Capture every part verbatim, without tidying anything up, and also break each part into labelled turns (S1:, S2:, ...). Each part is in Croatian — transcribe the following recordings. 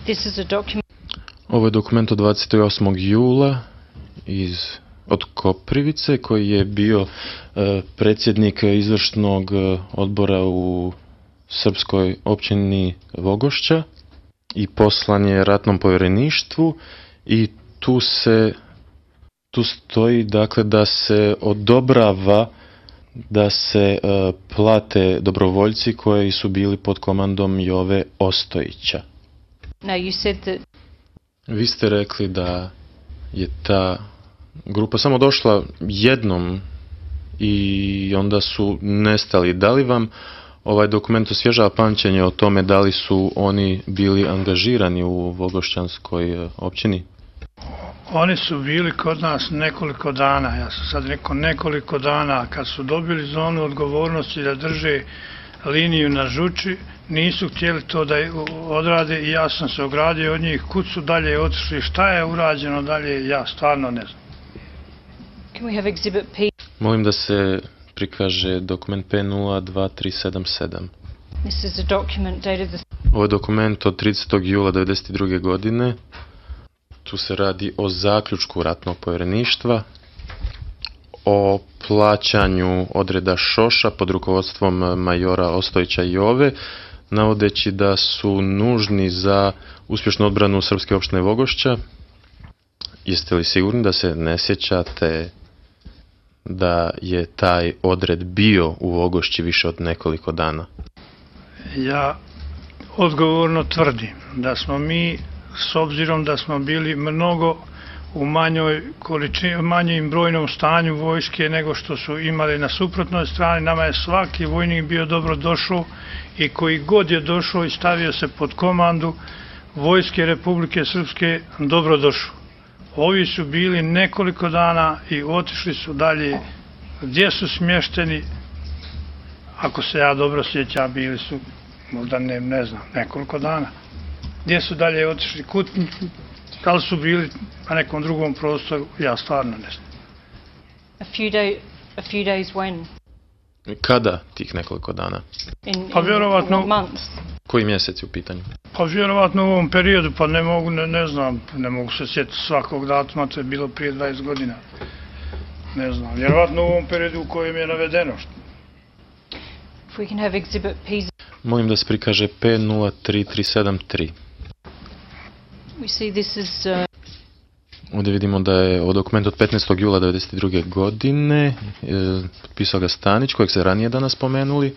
S1: This is a document.
S2: Ovo je dokument od dvadeset osmog jula iz, od Koprivice, koji je bio e, predsjednik izvršnog odbora u srpskoj općini Vogošća i poslan je ratnom povjereništvu i tu se tu stoji dakle da se odobrava da se e, plate dobrovoljci koji su bili pod komandom Jove Ostojića.
S1: No, you said that.
S2: Vi ste rekli da je ta grupa samo došla jednom i onda su nestali. Da li vam ovaj dokument osvježava pamćenje o tome da li su oni bili angažirani u Vogošćanskoj općini?
S3: Oni su bili kod nas nekoliko dana, ja sam sad rekao nekoliko dana, kad su dobili zonu odgovornosti da drže liniju na Žuči, nisu htjeli to da odrade i ja sam se ogradio od njih, kud su dalje otišli, šta je urađeno dalje, ja stvarno ne znam.
S1: Can we have exhibit P?
S2: Molim da se prikaže dokument P nula dva tri sedam sedam.
S1: This is a document dated the...
S2: Ovo je dokument od tridesetog jula devedeset druge godine. Tu se radi o zaključku ratnog povjereništva, o plaćanju odreda Šoša pod rukovodstvom majora Ostojića Jove, navodeći da su nužni za uspješnu odbranu srpske opštine Vogošća. Jeste li sigurni da se ne sjećate da je taj odred bio u Vogošći više od nekoliko dana?
S3: Ja odgovorno tvrdim da smo mi, s obzirom da smo bili mnogo u manjoj količini, manjem brojnom stanju vojske nego što su imali na suprotnoj strani, nama je svaki vojnik bio dobro došao i koji god je došao i stavio se pod komandu vojske Republike Srpske, dobro došao. Ovi su bili nekoliko dana i otišli su dalje. Gdje su smješteni, ako se ja dobro sjećam, bili su, možda ne, ne znam, nekoliko dana. Gdje su dalje otišli, kud, da li su bili na nekom drugom prostoru, ja stvarno ne znam.
S1: A few, day, a few days when?
S2: Kada tih nekoliko dana?
S1: In,
S3: Pa vjerovatno...
S1: in months?
S2: Koji mjesec je u pitanju?
S3: Pa vjerovatno u ovom periodu, pa ne mogu, ne, ne znam, ne mogu se sjetiti svakog datuma, to je bilo prije dvadeset godina. Ne znam, vjerovatno u ovom periodu u kojem je navedeno.
S1: If we can have exhibit P.
S2: Molim da se prikaže P nula tri tri sedam tri.
S1: We see this is... Uh...
S2: Ovdje vidimo da je ovo dokument od petnaestog jula devedeset druge godine, e, potpisao ga Stanić, kojeg se ranije danas spomenuli.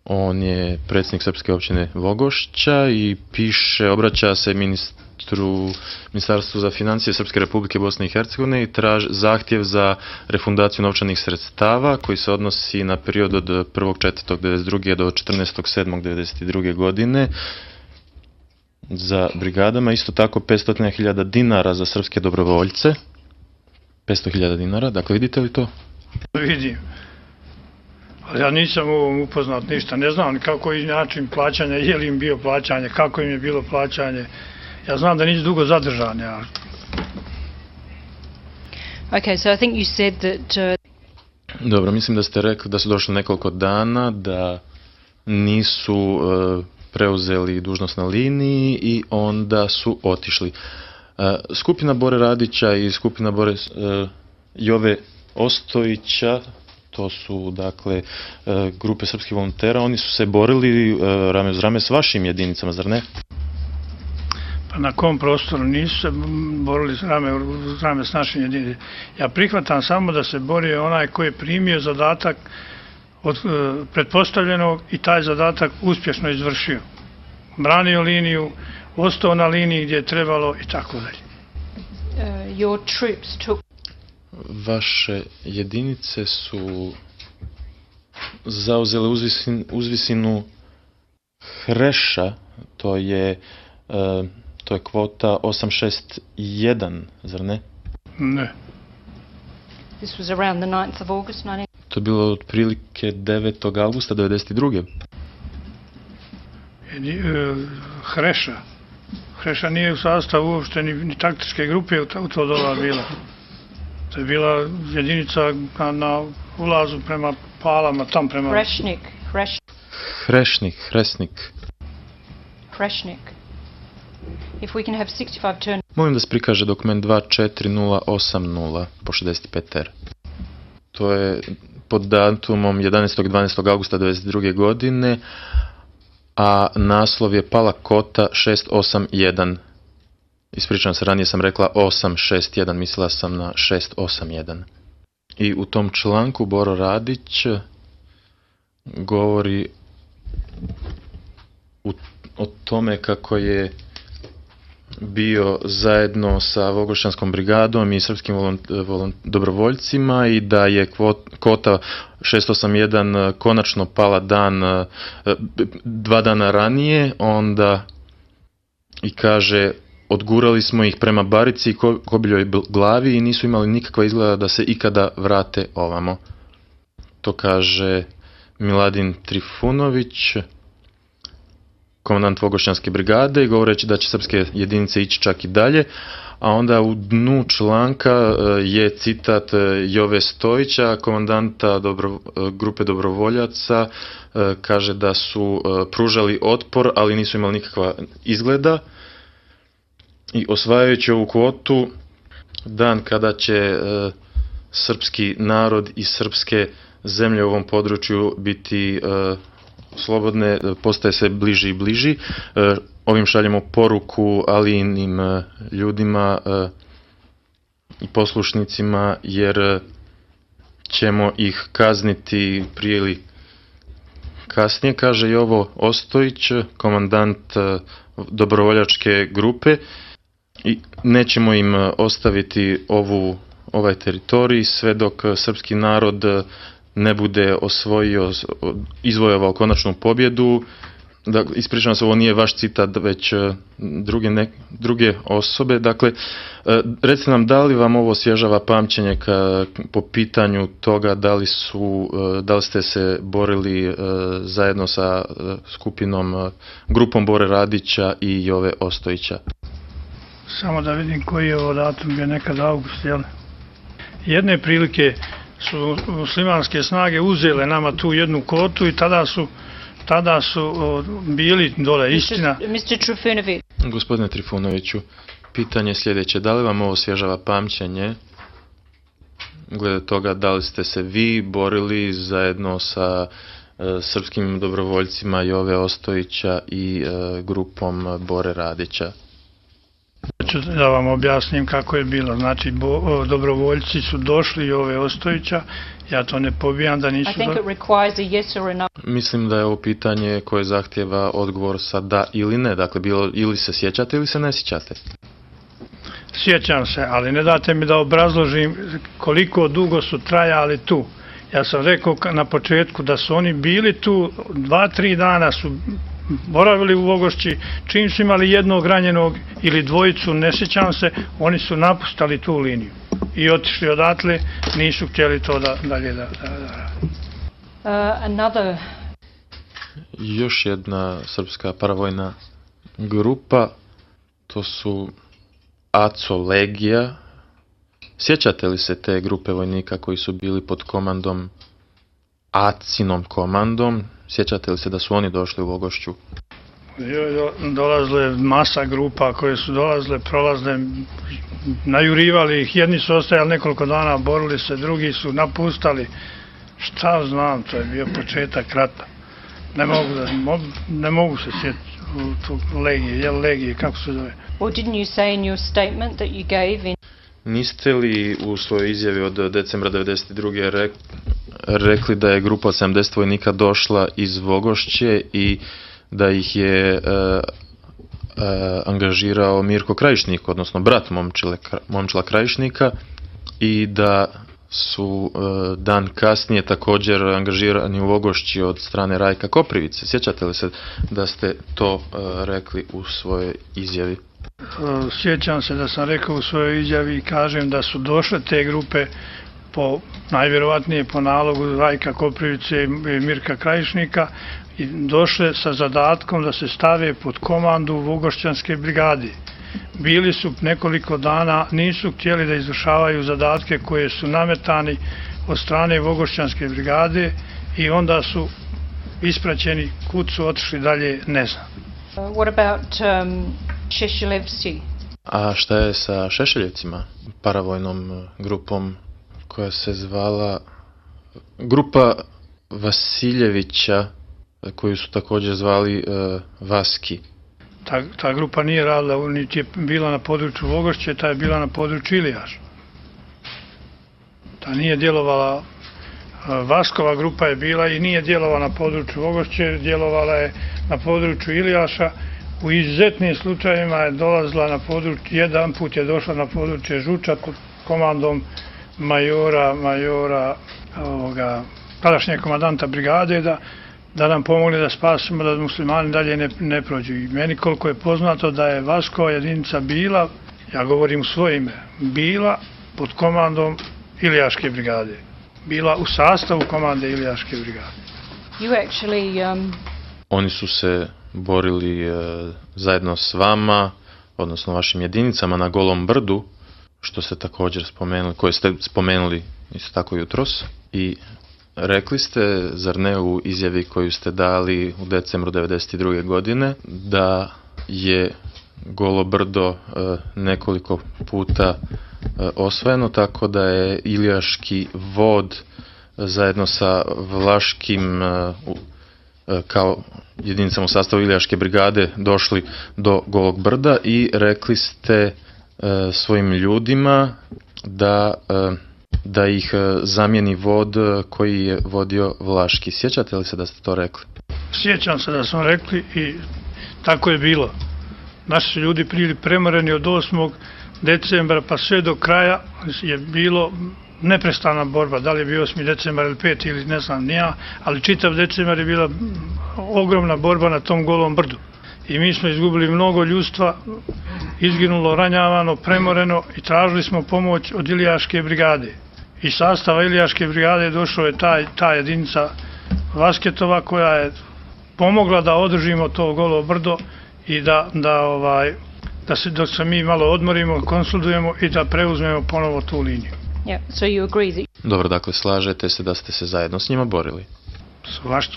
S2: On je predsjednik srpske općine Vogošća i piše, obraća se ministru, Ministarstvu za financije Srpske Republike Bosne i Hercegovine i traži zahtjev za refundaciju novčanih sredstava koji se odnosi na period od prvog četvrtog devedeset druge do četrnaestog sedmog devedeset druge godine za brigadama, isto tako petsto hiljada dinara za srpske dobrovoljce. petsto hiljada dinara, dakle vidite li to?
S3: Vidim. Ali ja nisam u ovom upoznat ništa, ne znam kako je način plaćanja, je li im bio plaćanje, kako im je bilo plaćanje. Ja znam da nisu dugo zadržani. Ja.
S1: Okay, so I think you said that... Uh...
S2: Dobro, mislim da ste rekli da su došli nekoliko dana, da nisu uh, preuzeli dužnost na liniji i onda su otišli. Uh, skupina Bore Radića i skupina Bore uh, Jove Ostojića, to su dakle grupe srpskih volontera, oni su se borili rame uz rame s vašim jedinicama, zar ne?
S3: Pa na kom prostoru nisu se borili rame uz rame s našim jedinicama. Ja prihvatam samo da se borio onaj koji je primio zadatak od pretpostavljenog i taj zadatak uspješno izvršio. Branio liniju, ostao na liniji gdje je trebalo i tako dalje.
S1: Uh, your troops took...
S2: Vaše jedinice su zauzele uzvisin, uzvisinu Hreša, to je, uh, to je kvota osam šest jedan, zar ne?
S3: Ne.
S1: This was around the ninth of August, nineteen...
S2: To je bilo otprilike devetog avgusta devedeset druge.
S3: Hreša. Hreša nije u sastavu uopšte ni, ni taktičke grupe u to doba bila. To je bila jedinica na, na ulazu prema Palama, tam prema...
S1: Hrešnik. Hreš...
S2: Hrešnik, Hresnik.
S1: Hrešnik. If we can have sixty-five turn.
S2: Molim da se prikaže dokument dva četiri nula osam nula po šezdeset pet R. To je pod datumom jedanaestog dvanaestog augusta devedeset druge godine, a naslov je Pala Kota šest osam jedan. Ispričavam se, ranije sam rekla osam šest jedan, mislila sam na šest osam jedan. I u tom članku Boro Radić govori u, o tome kako je bio zajedno sa Vogošćanskom brigadom i srpskim volont, volont, dobrovoljcima i da je kvot, kota šest osam jedan konačno pala dan, dva dana ranije, onda i kaže odgurali smo ih prema Barici i Kobiljoj glavi i nisu imali nikakva izgleda da se ikada vrate ovamo. To kaže Miladin Trifunović, komandant Vogošćanske brigade, i govoreći da će srpske jedinice ići čak i dalje, a onda u dnu članka je citat Jove Stojića, komandanta dobro, grupe dobrovoljaca, kaže da su pružali otpor, ali nisu imali nikakva izgleda. I osvajajući ovu kvotu, dan kada će srpski narod i srpske zemlje u ovom području biti slobodne, postaje sve bliži i bliži. Ovim šaljemo poruku Alijinim ljudima i poslušnicima, jer ćemo ih kazniti prije ili kasnije, kaže Jovo Ostojić, komandant dobrovoljačke grupe, i nećemo im ostaviti ovu, ovaj teritorij sve dok srpski narod ne bude osvojio, izvojevao konačnu pobjedu. Da, ispričavam se, ovo nije vaš citat, već druge, ne, druge osobe. Dakle, recite nam, da li vam ovo osvježava pamćenje ka, po pitanju toga da li, su, da li ste se borili zajedno sa skupinom, grupom Bore Radića i Jove Ostojića?
S3: Samo da vidim koji je ovo datum, je nekad august, jel? Jedne prilike su muslimanske snage uzele nama tu jednu kotu i tada su tada su o, bili dole, istina.
S1: mister Trifunović.
S2: Gospodine Trifunoviću, pitanje je sljedeće. Da li vam ovo osvježava pamćenje glede toga da li ste se vi borili zajedno sa e, srpskim dobrovoljcima Jove Ostojića i e, grupom Bore Radića?
S3: Ću da vam objasnim kako je bilo. Znači, bo, dobrovoljci su došli Jove Ostojića, ja to ne pobijam da nisu...
S1: I think it requires a yes or a no.
S2: Mislim da je ovo pitanje koje zahtjeva odgovor sa da ili ne. Dakle, bilo, ili se sjećate ili se ne sjećate.
S3: Sjećam se, ali ne date mi da obrazložim koliko dugo su trajali tu. Ja sam rekao na početku da su oni bili tu, dva, tri dana su boravili u Vogošći, čim su imali jednog ranjenog ili dvojicu, ne sjećam se, oni su napustali tu liniju i otišli odatle, nisu htjeli to da dalje da, da, da.
S1: Uh, another...
S2: Još jedna srpska paravojna grupa, to su Aco Legija. Sjećate li se te grupe vojnika koji su bili pod komandom, Acinom komandom? Sjećate li se da su oni došli u Vogošću?
S3: Dolazile masa grupa koje su dolazile, prolazile, najurivali ih, jedni su ostajali nekoliko dana, borili se, drugi su napustali. Šta znam, to je bio početak rata. Ne mogu, da, ne mogu se sjetiti u tu legije, jel legije, kako se zove?
S1: Or didn't you say in your statement that you gave in...
S2: Niste li u svojoj izjavi od decembra devedeset druge Re, rekli da je grupa od sedamdeset vojnika došla iz Vogošće i da ih je e, e, angažirao Mirko Krajišnik, odnosno brat Momčile, Momčila Krajišnika, i da su e, dan kasnije također angažirani u Vogošći od strane Rajka Koprivice? Sjećate li se da ste to e, rekli u svojoj izjavi?
S3: Sjećam se da sam rekao u svojoj izjavi i kažem da su došle te grupe po, najvjerovatnije po nalogu Rajka Koprivice i Mirka Krajišnika, i došle sa zadatkom da se stave pod komandu Vogošćanske brigade. Bili su nekoliko dana, nisu htjeli da izvršavaju zadatke koje su nametani od strane Vogošćanske brigade i onda su ispraćeni, kud su otišli dalje, ne znam.
S1: Uh, what about um, Šešeljevci.
S2: A šta je sa Šešeljevcima, paravojnom grupom koja se zvala grupa Vasiljevića, koju su također zvali uh, Vaski?
S3: Ta, ta grupa nije radila, niti je bila na području Vogošće, ta je bila na području Ilijaša. Ta nije djelovala, Vaskova grupa je bila i nije djelovala na području Vogošće, djelovala je na području Ilijaša. U izuzetnim slučajevima je dolazila na područje, jedan put je došla na područje Žuča pod komandom majora, majora ovoga, tadašnjeg komandanta brigade da, da nam pomogli da spasimo, da muslimani dalje ne, ne prođu. I meni koliko je poznato da je Vaskova jedinica bila, ja govorim u svoje ime, bila pod komandom Ilijaške brigade. Bila u sastavu komande Ilijaške brigade.
S1: You actually, um...
S2: Oni su se borili e, zajedno s vama, odnosno vašim jedinicama na Golom brdu, što ste također spomenuli, koje ste spomenuli isto tako jutros. I rekli ste, zar ne, u izjavi koju ste dali u decembru devedeset druge godine, da je Golo brdo e, nekoliko puta e, osvojeno, tako da je Ilijaški vod zajedno sa Vlaškim e, kao jedinicama u sastavu Ilijaške brigade došli do Golog brda i rekli ste e, svojim ljudima da, e, da ih e, zamijeni vod koji je vodio Vlaški. Sjećate li se da ste to rekli?
S3: Sjećam se da smo rekli i tako je bilo. Naši su ljudi bili premoreni od osmog decembra pa sve do kraja je bilo neprestana borba, da li je bio osmi decembar ili peti ili ne znam nija, ali čitav decembar je bila ogromna borba na tom Golom brdu. I mi smo izgubili mnogo ljudstva, izginulo, ranjavano, premoreno i tražili smo pomoć od Ilijaške brigade. Iz sastava Ilijaške brigade došla je ta, ta jedinica Vasketova koja je pomogla da održimo to Golo brdo i da, da, ovaj, da se dok se mi malo odmorimo, konsultujemo i da preuzmemo ponovo tu liniju.
S1: Yeah, so you agree that...
S2: Dobro, dakle, slažete se da ste se zajedno s njima borili?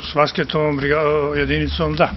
S3: S Vasketovom jedinicom, da.